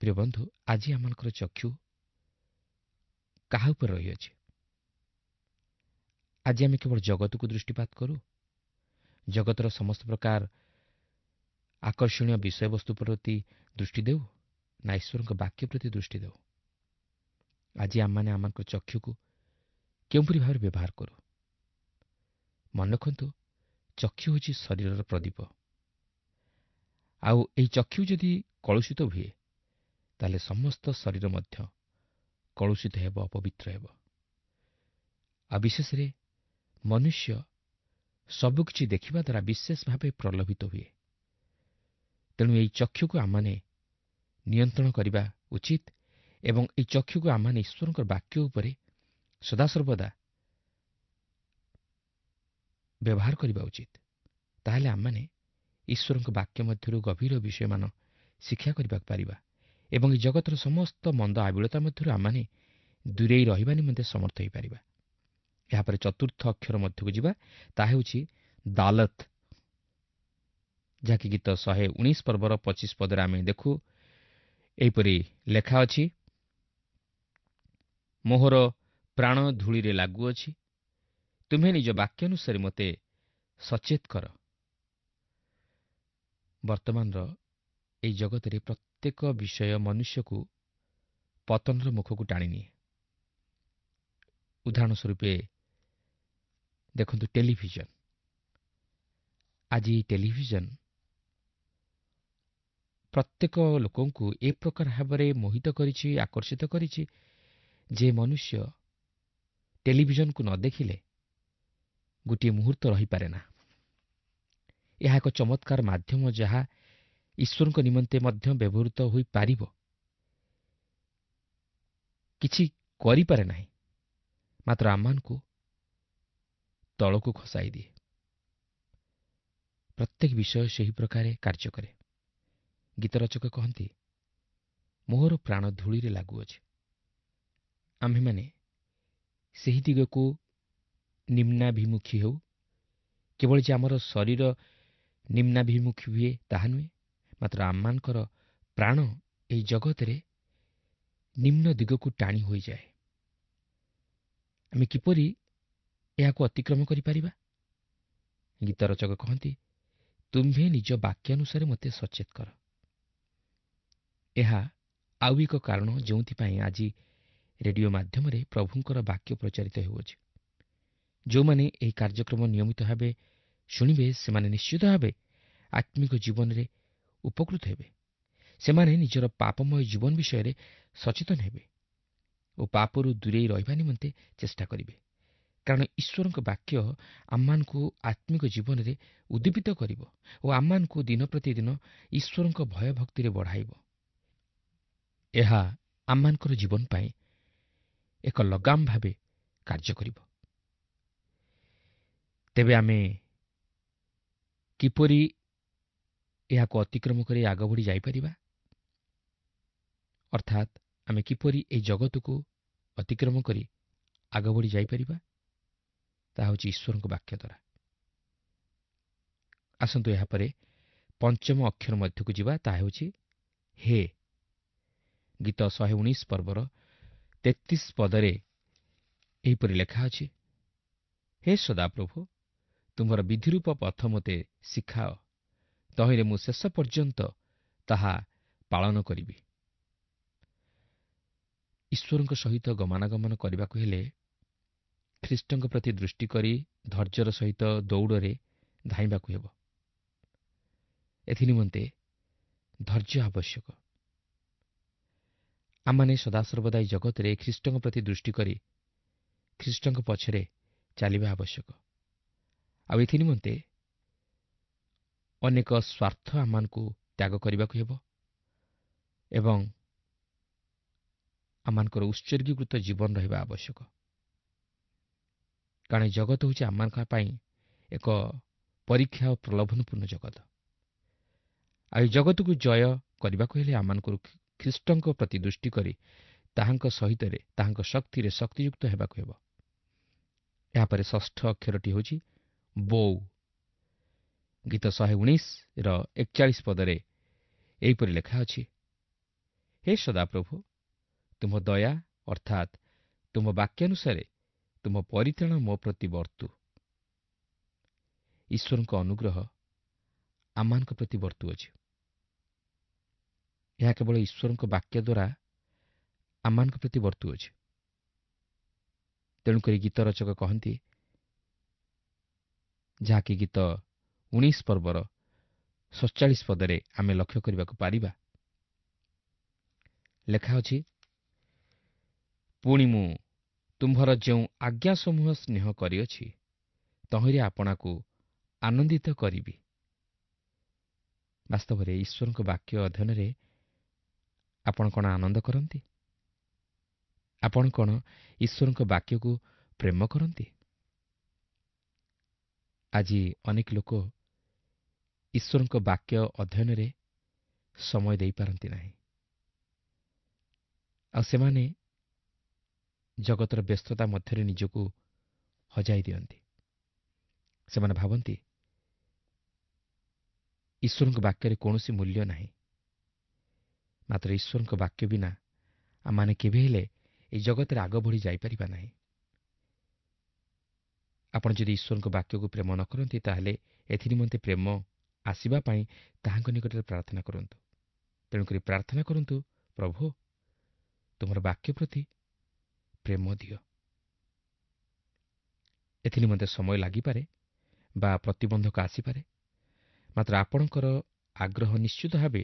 ପ୍ରିୟ ବନ୍ଧୁ, ଆଜି ଆମମାନଙ୍କର ଚକ୍ଷୁ କାହା ଉପରେ ରହିଅଛି? ଆଜି ଆମେ କେବଳ ଜଗତକୁ ଦୃଷ୍ଟିପାତ କରୁ, ଜଗତର ସମସ୍ତ ପ୍ରକାର ଆକର୍ଷଣୀୟ ବିଷୟବସ୍ତୁ ପ୍ରତି ଦୃଷ୍ଟି ଦେଉ, ନା ଈଶ୍ୱରଙ୍କ ବାକ୍ୟ ପ୍ରତି ଦୃଷ୍ଟି ଦେଉ? ଆଜି ଆମମାନେ ଆମମାନଙ୍କ ଚକ୍ଷୁକୁ କେଉଁପରି ଭାବରେ ବ୍ୟବହାର କରୁ? ମନେ ରଖନ୍ତୁ, ଚକ୍ଷୁ ହେଉଛି ଶରୀରର ପ୍ରଦୀପ। ଆଉ ଏହି ଚକ୍ଷୁ ଯଦି କଳୁଷିତ ହୁଏ, ତାହେଲେ ସମସ୍ତ ଶରୀର ମଧ୍ୟ କଳୁଷିତ ହେବ, ଅପବିତ୍ର ହେବ। ଆଉ ବିଶେଷରେ ମନୁଷ୍ୟ ସବୁକିଛି ଦେଖିବା ଦ୍ୱାରା ବିଶେଷ ଭାବେ ପ୍ରଲୋଭିତ ହୁଏ। ତେଣୁ ଏହି ଚକ୍ଷୁକୁ ଆମମାନେ ନିୟନ୍ତ୍ରଣ କରିବା ଉଚିତ ଏବଂ ଏହି ଚକ୍ଷୁକୁ ଆମମାନେ ଈଶ୍ୱରଙ୍କ ବାକ୍ୟ ଉପରେ ସଦାସର୍ବଦା ବ୍ୟବହାର କରିବା ଉଚିତ। ତାହେଲେ ଆମମାନେ ଈଶ୍ୱରଙ୍କ ବାକ୍ୟ ମଧ୍ୟରୁ ଗଭୀର ବିଷୟମାନ ଶିକ୍ଷା କରିବାକୁ ପାରିବା ଏବଂ ଏହି ଜଗତର ସମସ୍ତ ମନ୍ଦ ଆବିଳତା ମଧ୍ୟରୁ ଆମମାନେ ଦୂରେଇ ରହିବା ନିମନ୍ତେ ସମର୍ଥ ହୋଇପାରିବା। ଏହାପରେ ଚତୁର୍ଥ ଅକ୍ଷର ମଧ୍ୟକୁ ଯିବା, ତାହା ହେଉଛି ଦାଲତ, ଯାହାକି ଗୀତ ଶହେ ଉଣେଇଶ ପର୍ବର ପଚିଶ ପଦରେ ଆମେ ଦେଖୁ ଏହିପରି ଲେଖା ଅଛି, ମୋହର ପ୍ରାଣ ଧୂଳିରେ ଲାଗୁଅଛି, ତୁମେ ନିଜ ବାକ୍ୟାନୁସାରେ ମୋତେ ସଚେତ କର। ବର୍ତ୍ତମାନର ଏହି ଜଗତରେ ପ୍ରତ୍ୟେକ ବିଷୟ ମନୁଷ୍ୟକୁ ପତନର ମୁଖକୁ ଟାଣିନିଏ। ଉଦାହରଣ ସ୍ୱରୂପେ ଦେଖନ୍ତୁ ଟେଲିଭିଜନ। ଆଜି ଟେଲିଭିଜନ ପ୍ରତ୍ୟେକ ଲୋକଙ୍କୁ ଏ ପ୍ରକାର ଭାବରେ ମୋହିତ କରିଛି, ଆକର୍ଷିତ କରିଛି ଯେ ମନୁଷ୍ୟ ଟେଲିଭିଜନକୁ ନ ଦେଖିଲେ ଗୋଟିଏ ମୁହୂର୍ତ୍ତ ରହିପାରେ ନା। ଏହା ଏକ ଚମତ୍କାର ମାଧ୍ୟମ ଯାହା ଈଶ୍ୱରଙ୍କ ନିମନ୍ତେ ମଧ୍ୟ ବ୍ୟବହୃତ ହୋଇପାରିବ, କିଛି କରିପାରେ ନାହିଁ, ମାତ୍ର ଆମମାନଙ୍କୁ ତଳକୁ ଖସାଇ ଦିଏ। ପ୍ରତ୍ୟେକ ବିଷୟ ସେହି ପ୍ରକାରେ କାର୍ଯ୍ୟ କରେ। ଗୀତ ରଚକ କହନ୍ତି, ମୋହର ପ୍ରାଣ ଧୂଳିରେ ଲାଗୁଅଛି। ଆମ୍ଭେମାନେ ସେହି ଦିଗକୁ ନିମ୍ନାଭିମୁଖୀ ହେଉ, କେବଳ ଯେ ଆମର ଶରୀର ନିମ୍ନାଭିମୁଖୀ ହୁଏ ତାହା ନୁହେଁ, ମାତ୍ର ଆମମାନଙ୍କର ପ୍ରାଣ ଏହି ଜଗତରେ ନିମ୍ନ ଦିଗକୁ ଟାଣି ହୋଇଯାଏ। ଆମେ କିପରି ଏହାକୁ ଅତିକ୍ରମ କରିପାରିବା? ଗୀତ ରଚକ କହନ୍ତି, ତୁମ୍ଭେ ନିଜ ବାକ୍ୟାନୁସାରେ ମୋତେ ସଚେତ କର। ଏହା ଆଉ ଏକ କାରଣ ଯେଉଁଥିପାଇଁ ଆଜି ରେଡିଓ ମାଧ୍ୟମରେ ପ୍ରଭୁଙ୍କର ବାକ୍ୟ ପ୍ରଚାରିତ ହେଉଅଛି। ଯେଉଁମାନେ ଏହି କାର୍ଯ୍ୟକ୍ରମ ନିୟମିତ ଭାବେ ଶୁଣିବେ, ସେମାନେ ନିଶ୍ଚିତ ଭାବେ ଆତ୍ମିକ ଜୀବନରେ ଉପକୃତ ହେବେ। ସେମାନେ ନିଜର ପାପମୟ ଜୀବନ ବିଷୟରେ ସଚେତନ ହେବେ ଓ ପାପରୁ ଦୂରେଇ ରହିବା ନିମନ୍ତେ ଚେଷ୍ଟା କରିବେ। କାରଣ ଈଶ୍ୱରଙ୍କ ବାକ୍ୟ ଆମମାନଙ୍କୁ ଆତ୍ମିକ ଜୀବନରେ ଉଦ୍ଦୀପିତ କରିବ ଓ ଆମମାନଙ୍କୁ ଦିନ ପ୍ରତିଦିନ ଈଶ୍ୱରଙ୍କ ଭୟଭକ୍ତିରେ ବଢ଼ାଇବ। ଏହା ଆମମାନଙ୍କର ଜୀବନ ପାଇଁ ଏକ ଲଗାମ ଭାବେ କାର୍ଯ୍ୟ କରିବ। ତେବେ ଆମେ କିପରି ଏହାକୁ ଅତିକ୍ରମ କରି ଆଗ ବଢ଼ି ଯାଇପାରିବା? ଅର୍ଥାତ୍ ଆମେ କିପରି ଏହି ଜଗତକୁ ଅତିକ୍ରମ କରି ଆଗ ବଢ଼ି ଯାଇପାରିବା? ତାହା ହେଉଛି ଈଶ୍ୱରଙ୍କ ବାକ୍ୟ ଦ୍ୱାରା। ଆସନ୍ତୁ ଏହାପରେ ପଞ୍ଚମ ଅକ୍ଷର ମଧ୍ୟକୁ ଯିବା, ତାହା ହେଉଛି ହେ। ଗୀତ ଶହେ ଉଣେଇଶ ପର୍ବର ତେତିଶ ପଦରେ ଏହିପରି ଲେଖା ଅଛି, ହେ ସଦାପ୍ରଭୁ, ତୁମର ବିଧିରୂପ ପଥ ମୋତେ ଶିଖାଅ, ତହିଁରେ ମୁଁ ଶେଷ ପର୍ଯ୍ୟନ୍ତ ତାହା ପାଳନ କରିବି। ଈଶ୍ୱରଙ୍କ ସହିତ ଗମନାଗମନ କରିବାକୁ ହେଲେ ଖ୍ରୀଷ୍ଟଙ୍କ ପ୍ରତି ଦୃଷ୍ଟି କରି ଧୈର୍ଯ୍ୟର ସହିତ ଦୌଡ଼ରେ ଧାଇଁବାକୁ ହେବ। ଏଥିନିମନ୍ତେ ଧୈର୍ଯ୍ୟ ଆବଶ୍ୟକ। ଆମମାନେ ସଦାସର୍ବଦା ଏହି ଜଗତରେ ଖ୍ରୀଷ୍ଟଙ୍କ ପ୍ରତି ଦୃଷ୍ଟି କରି ଖ୍ରୀଷ୍ଟଙ୍କ ପଛରେ ଚାଲିବା ଆବଶ୍ୟକ। ଆଉ ଏଥିନିମନ୍ତେ ଅନେକ ସ୍ୱାର୍ଥ ଆମମାନଙ୍କୁ ତ୍ୟାଗ କରିବାକୁ ହେବ ଏବଂ ଆମମାନଙ୍କର ଉତ୍ସର୍ଗୀକୃତ ଜୀବନ ରହିବା ଆବଶ୍ୟକ। କାରଣ ଜଗତ ହେଉଛି ଆମମାନଙ୍କ ପାଇଁ ଏକ ପରୀକ୍ଷା ଓ ପ୍ରଲୋଭନପୂର୍ଣ୍ଣ ଜଗତ। ଆଉ ଏ ଜଗତକୁ ଜୟ କରିବାକୁ ହେଲେ ଆମମାନଙ୍କୁ ଖ୍ରୀଷ୍ଟଙ୍କ ପ୍ରତି ଦୃଷ୍ଟି କରି ତାହାଙ୍କ ସହିତରେ ତାହାଙ୍କ ଶକ୍ତିରେ ଶକ୍ତିଯୁକ୍ତ ହେବାକୁ ହେବ। ଏହାପରେ ଷଷ୍ଠ ଅକ୍ଷରଟି ହେଉଛି ବୋଉ। ଗୀତ ଶହେ ଉଣେଇଶର ଏକଚାଳିଶ ପଦରେ ଏହିପରି ଲେଖା ଅଛି, ହେ ସଦାପ୍ରଭୁ, ତୁମ ଦୟା ଅର୍ଥାତ୍ ତୁମ ବାକ୍ୟାନୁସାରେ ତୁମ ପରିତ୍ରାଣ ମୋ ପ୍ରତି ବର୍ତ୍ତୁ। ଈଶ୍ୱରଙ୍କ ଅନୁଗ୍ରହ ଆମମାନଙ୍କ ପ୍ରତି ବର୍ତ୍ତୁଅଛି। ଏହା କେବଳ ଈଶ୍ୱରଙ୍କ ବାକ୍ୟ ଦ୍ୱାରା ଆମମାନଙ୍କ ପ୍ରତି ବର୍ତ୍ତୁଅଛି। ତେଣୁକରି ଗୀତ ରଚକ କହନ୍ତି, ଯାହାକି ଗୀତ ଉଣେଇଶ ପର୍ବର ସତଚାଳିଶ ପଦରେ ଆମେ ଲକ୍ଷ୍ୟ କରିବାକୁ ପାରିବା, ଲେଖା ଅଛି, ପୁଣି ମୁଁ ତୁମ୍ଭର ଯେଉଁ ଆଜ୍ଞା ସମୂହ ସ୍ନେହ କରିଅଛି ତହିଁରେ ଆପଣାକୁ ଆନନ୍ଦିତ କରିବି। ବାସ୍ତବରେ ଈଶ୍ୱରଙ୍କ ବାକ୍ୟ ଅଧ୍ୟୟନରେ ଆପଣ କ'ଣ ଆନନ୍ଦ କରନ୍ତି? ଆପଣ କ'ଣ ଈଶ୍ୱରଙ୍କ ବାକ୍ୟକୁ ପ୍ରେମ କରନ୍ତି? ଆଜି ଅନେକ ଲୋକ ଈଶ୍ୱରଙ୍କ ବାକ୍ୟ ଅଧ୍ୟୟନରେ ସମୟ ଦେଇପାରନ୍ତି ନାହିଁ। ଆଉ ସେମାନେ ଜଗତର ବ୍ୟସ୍ତତା ମଧ୍ୟରେ ନିଜକୁ ହଜାଇ ଦିଅନ୍ତି। ସେମାନେ ଭାବନ୍ତି ଈଶ୍ୱରଙ୍କ ବାକ୍ୟରେ କୌଣସି ମୂଲ୍ୟ ନାହିଁ। ମାତ୍ର ଈଶ୍ୱରଙ୍କ ବାକ୍ୟ ବିନା ଆମମାନେ କେବେ ହେଲେ ଏହି ଜଗତରେ ଆଗ ବଢ଼ି ଯାଇପାରିବା ନାହିଁ। ଆପଣ ଯଦି ଈଶ୍ୱରଙ୍କ ବାକ୍ୟକୁ ପ୍ରେମ ନ କରନ୍ତି, ତାହେଲେ ଏଥିନିମନ୍ତେ ପ୍ରେମ ଆସିବା ପାଇଁ ତାହାଙ୍କ ନିକଟରେ ପ୍ରାର୍ଥନା କରନ୍ତୁ। ତେଣୁକରି ପ୍ରାର୍ଥନା କରନ୍ତୁ, ପ୍ରଭୁ ତୁମର ବାକ୍ୟ ପ୍ରତି ପ୍ରେମ ଦିଅ। ଏଥିନିମନ୍ତେ ସମୟ ଲାଗିପାରେ ବା ପ୍ରତିବନ୍ଧକ ଆସିପାରେ, ମାତ୍ର ଆପଣଙ୍କର ଆଗ୍ରହ ନିଶ୍ଚିତ ଭାବେ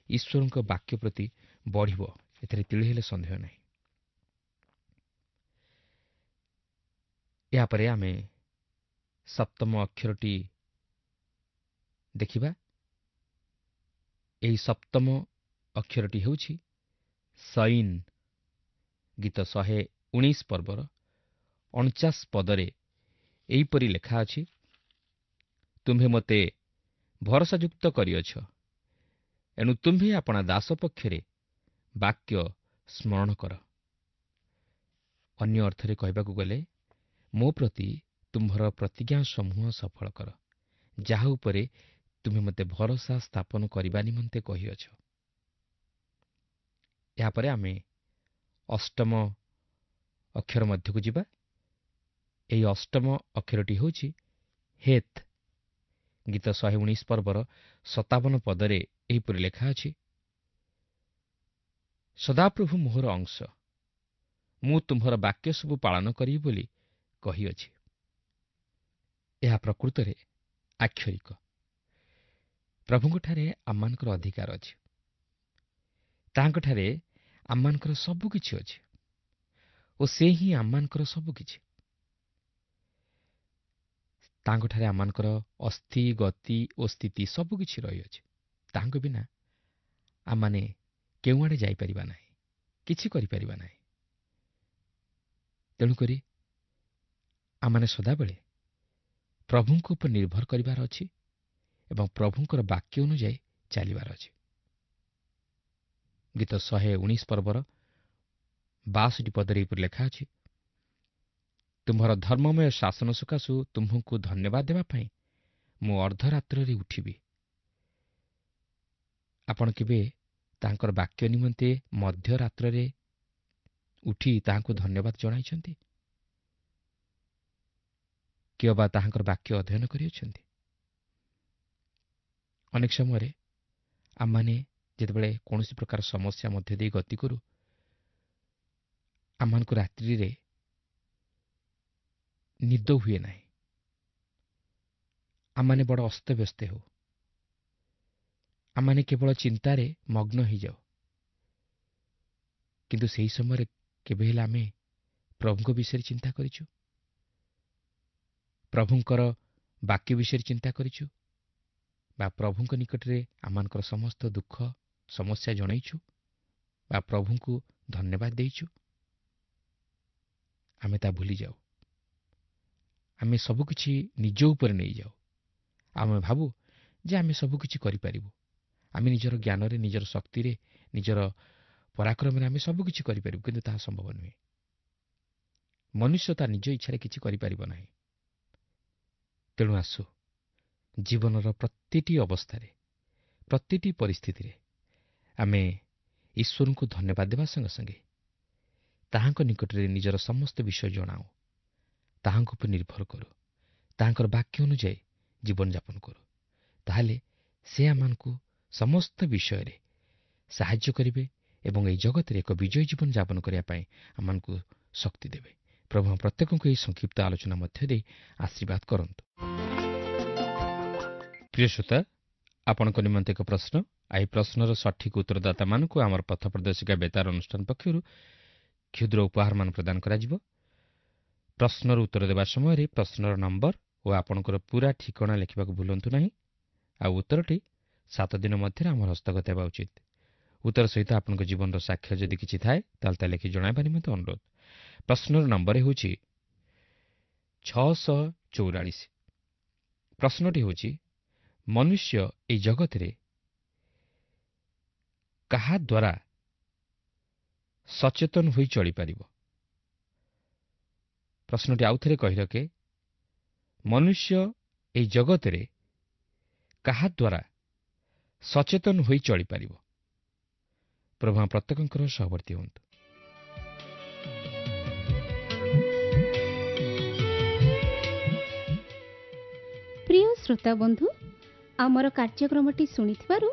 ଈଶ୍ୱରଙ୍କ ବାକ୍ୟ ପ୍ରତି ବଢ଼ିବ, ଏଥିରେ ତିଳେ ହେଲେ ସନ୍ଦେହ ନାହିଁ। ଏହାପରେ ଆମେ ସପ୍ତମ ଅକ୍ଷରଟି ଦେଖିବା। ଏହି ସପ୍ତମ ଅକ୍ଷରଟି ହେଉଛି ସଇନ୍। ଗୀତ ଶହେ ଉଣେଇଶ ପର୍ବର ଅଣଚାଶ ପଦରେ ଏହିପରି ଲେଖା ଅଛି, ତୁମ୍ଭେ ମୋତେ ଭରସାଯୁକ୍ତ କରିଅଛ, ଏଣୁ ତୁମ୍ଭେ ଆପଣା ଦାସ ପକ୍ଷରେ ବାକ୍ୟ ସ୍ମରଣ କର। ଅନ୍ୟ ଅର୍ଥରେ କହିବାକୁ ଗଲେ, ମୋ ପ୍ରତି ତୁମ୍ଭର ପ୍ରତିଜ୍ଞା ସମୂହ ସଫଳ କର, ଯାହା ଉପରେ ତୁମେ ମୋତେ ଭରସା ସ୍ଥାପନ କରିବା ନିମନ୍ତେ କହିଅଛ। ଏହାପରେ ଆମେ ଅଷ୍ଟମ ଅକ୍ଷର ମଧ୍ୟକୁ ଯିବା। ଏହି ଅଷ୍ଟମ ଅକ୍ଷରଟି ହେଉଛି ହେତ୍। ଗୀତ ଶହେ ଉଣେଇଶ ପର୍ବର ସତାବନ ପଦରେ ଏହିପରି ଲେଖା ଅଛି, ସଦାପ୍ରଭୁ ମୋହର ଅଂଶ, ମୁଁ ତୁମ୍ଭର ବାକ୍ୟ ସବୁ ପାଳନ କରିବି ବୋଲି କହିଅଛି। ଏହା ପ୍ରକୃତରେ ଆକ୍ଷରିକ। ପ୍ରଭୁଙ୍କଠାରେ ଆମମାନଙ୍କର ଅଧିକାର ଅଛି। ତାହାଙ୍କଠାରେ ଆମମାନଙ୍କର ସବୁକିଛି ଅଛି ଓ ସେ ହିଁ ଆମମାନଙ୍କର ସବୁକିଛି। ତାଙ୍କଠାରେ ଆମମାନଙ୍କର ଅସ୍ଥି, ଗତି ଓ ସ୍ଥିତି ସବୁକିଛି ରହିଅଛି। ତାହାଙ୍କ ବିନା ଆମମାନେ କେଉଁଆଡ଼େ ଯାଇପାରିବା ନାହିଁ, କିଛି କରିପାରିବା ନାହିଁ। ତେଣୁକରି ଆମମାନେ ସଦାବେଳେ ପ୍ରଭୁଙ୍କ ଉପରେ ନିର୍ଭର କରିବାର ଅଛି ଏବଂ ପ୍ରଭୁଙ୍କର ବାକ୍ୟ ଅନୁଯାୟୀ ଚାଲିବାର ଅଛି। ଗୀତ ଶହେ ଉଣେଇଶ ପର୍ବର ବାଷଠି ପଦରେ ଏହିପରି ଲେଖା ଅଛି, ତୁମ୍ଭର ଧର୍ମମୟ ଶାସନ ସକାଶୁ ତୁମ୍ଭଙ୍କୁ ଧନ୍ୟବାଦ ଦେବା ପାଇଁ ମୁଁ ଅର୍ଦ୍ଧରାତ୍ରରେ ଉଠିବି। ଆପଣ କେବେ ତାଙ୍କର ବାକ୍ୟ ନିମନ୍ତେ ମଧ୍ୟରାତ୍ରରେ ଉଠି ତାହାଙ୍କୁ ଧନ୍ୟବାଦ ଜଣାଇଛନ୍ତି? କିଏ ବା ତାହାଙ୍କର ବାକ୍ୟ ଅଧ୍ୟୟନ କରିଅଛନ୍ତି? ଅନେକ ସମୟରେ ଆମମାନେ ଯେତେବେଳେ କୌଣସି ପ୍ରକାର ସମସ୍ୟା ମଧ୍ୟ ଦେଇ ଗତି କରୁ, ଆମମାନଙ୍କୁ ରାତ୍ରିରେ ନିଦ ହୁଏ ନାହିଁ। ଆମମାନେ ବଡ଼ ଅସ୍ତବ୍ୟସ୍ତ ହେଉ। ଆମମାନେ କେବଳ ଚିନ୍ତାରେ ମଗ୍ନ ହୋଇଯାଉ। କିନ୍ତୁ ସେହି ସମୟରେ କେବେ ହେଲେ ଆମେ ପ୍ରଭୁଙ୍କ ବିଷୟରେ ଚିନ୍ତା କରିଛୁ? ପ୍ରଭୁଙ୍କର ବାକ୍ୟ ବିଷୟରେ ଚିନ୍ତା କରିଛୁ ବା ପ୍ରଭୁଙ୍କ ନିକଟରେ ଆମମାନଙ୍କର ସମସ୍ତ ଦୁଃଖ ସମସ୍ୟା ଜଣାଇଛୁ ବା ପ୍ରଭୁଙ୍କୁ ଧନ୍ୟବାଦ ଦେଇଛୁ? ଆମେ ତା ଭୁଲିଯାଉ। ଆମେ ସବୁକିଛି ନିଜ ଉପରେ ନେଇଯାଉ। ଆମେ ଭାବୁ ଯେ ଆମେ ସବୁକିଛି କରିପାରିବୁ। ଆମେ ନିଜର ଜ୍ଞାନରେ, ନିଜର ଶକ୍ତିରେ, ନିଜର ପରାକ୍ରମରେ ଆମେ ସବୁକିଛି କରିପାରିବୁ, କିନ୍ତୁ ତାହା ସମ୍ଭବ ନୁହେଁ। ମନୁଷ୍ୟ ତା ନିଜ ଇଚ୍ଛାରେ କିଛି କରିପାରିବ ନାହିଁ। ତେଣୁ ଆସୁ ଜୀବନର ପ୍ରତିଟି ଅବସ୍ଥାରେ, ପ୍ରତିଟି ପରିସ୍ଥିତିରେ ଆମେ ଈଶ୍ୱରଙ୍କୁ ଧନ୍ୟବାଦ ଦେବା ସଙ୍ଗେ ସଙ୍ଗେ ତାହାଙ୍କ ନିକଟରେ ନିଜର ସମସ୍ତ ବିଷୟ ଜଣାଉ, ତାହାଙ୍କ ଉପରେ ନିର୍ଭର କରୁ, ତାହାଙ୍କର ବାକ୍ୟ ଅନୁଯାୟୀ ଜୀବନଯାପନ କରୁ। ତାହେଲେ ସେ ଆମମାନଙ୍କୁ ସମସ୍ତ ବିଷୟରେ ସାହାଯ୍ୟ କରିବେ ଏବଂ ଏହି ଜଗତରେ ଏକ ବିଜୟୀ ଜୀବନ ଯାପନ କରିବା ପାଇଁ ଆମମାନଙ୍କୁ ଶକ୍ତି ଦେବେ। ପ୍ରଭୁ ପ୍ରତ୍ୟେକଙ୍କୁ ଏହି ସଂକ୍ଷିପ୍ତ ଆଲୋଚନା ମଧ୍ୟ ଦେଇ ଆଶୀର୍ବାଦ କରନ୍ତୁ। ପ୍ରିୟ ଶ୍ରୋତା, ଆପଣଙ୍କ ନିମନ୍ତେ ଏକ ପ୍ରଶ୍ନ। ଏହି ପ୍ରଶ୍ନର ସଠିକ୍ ଉତ୍ତରଦାତାମାନଙ୍କୁ ଆମର ପଥ ପ୍ରଦର୍ଶିକା ବେତାର ଅନୁଷ୍ଠାନ ପକ୍ଷରୁ କ୍ଷୁଦ୍ର ଉପହାରମାନ ପ୍ରଦାନ କରାଯିବ। ପ୍ରଶ୍ନର ଉତ୍ତର ଦେବା ସମୟରେ ପ୍ରଶ୍ନର ନମ୍ବର ଓ ଆପଣଙ୍କର ପୁରା ଠିକଣା ଲେଖିବାକୁ ଭୁଲନ୍ତୁ ନାହିଁ। ଆଉ ଉତ୍ତରଟି ସାତ ଦିନ ମଧ୍ୟରେ ଆମର ହସ୍ତଗତ ହେବା ଉଚିତ। ଉତ୍ତର ସହିତ ଆପଣଙ୍କ ଜୀବନର ସାକ୍ଷ୍ୟ ଯଦି କିଛି ଥାଏ, ତାହେଲେ ତା ଲେଖି ଜଣାଇବା ନିମନ୍ତେ ଅନୁରୋଧ। ପ୍ରଶ୍ନର ନମ୍ବର ହେଉଛି ଛଅଶହ ଚଉରାଳିଶ। ପ୍ରଶ୍ନଟି ହେଉଛି, ମନୁଷ୍ୟ ଏହି ଜଗତରେ କାହା ଦ୍ୱାରା ସଚେତନ ହୋଇ ଚଳିପାରିବ? ପ୍ରଶ୍ନଟି ଆଉ ଥରେ କହି ରଖେ, ମନୁଷ୍ୟ ଏହି ଜଗତରେ କାହା ଦ୍ୱାରା ସଚେତନ ହୋଇ ଚଳିପାରିବ? ପ୍ରଭୁ ପ୍ରତ୍ୟେକଙ୍କର ସହବର୍ତ୍ତୀ ହୁଅନ୍ତୁ। ପ୍ରିୟ ଶ୍ରୋତା ବନ୍ଧୁ, ଆମର କାର୍ଯ୍ୟକ୍ରମଟି ଶୁଣିଥିବାରୁ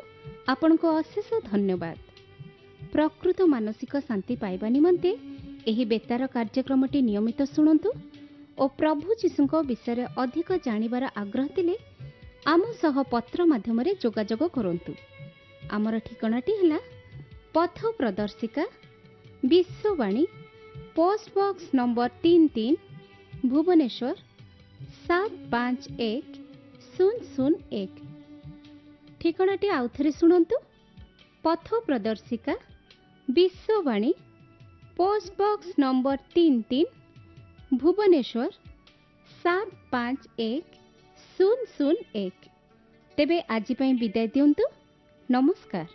ଆପଣଙ୍କୁ ଅଶେଷ ଧନ୍ୟବାଦ। ପ୍ରକୃତ ମାନସିକ ଶାନ୍ତି ପାଇବା ନିମନ୍ତେ ଏହି ବେତାର କାର୍ଯ୍ୟକ୍ରମଟି ନିୟମିତ ଶୁଣନ୍ତୁ ଓ ପ୍ରଭୁ ଯୀଶୁଙ୍କ ବିଷୟରେ ଅଧିକ ଜାଣିବାର ଆଗ୍ରହ ଥିଲେ ଆମ ସହ ପତ୍ର ମାଧ୍ୟମରେ ଯୋଗାଯୋଗ କରନ୍ତୁ। ଆମର ଠିକଣାଟି ହେଲା ପଥ ପ୍ରଦର୍ଶିକା, ବିଶ୍ୱବାଣୀ, ପୋଷ୍ଟ ବକ୍ସ ନମ୍ବର ତିନି ତିନି, ଭୁବନେଶ୍ୱର ସାତ ପାଞ୍ଚ ଏକ ଶୂନ ଶୂନ ଏକ। ଠିକଣାଟି ଆଉଥରେ ଶୁଣନ୍ତୁ, ପଥ ପ୍ରଦର୍ଶିକା, ବିଶ୍ୱବାଣୀ, ପୋଷ୍ଟ ବକ୍ସ ନମ୍ବର ତିନି ତିନି, ଭୁବନେଶ୍ୱର ସାତ ପାଞ୍ଚ ଏକ ଶୂନ ଶୂନ ଏକ। ତେବେ ଆଜି ପାଇଁ ବିଦାୟ ଦିଅନ୍ତୁ। ନମସ୍କାର।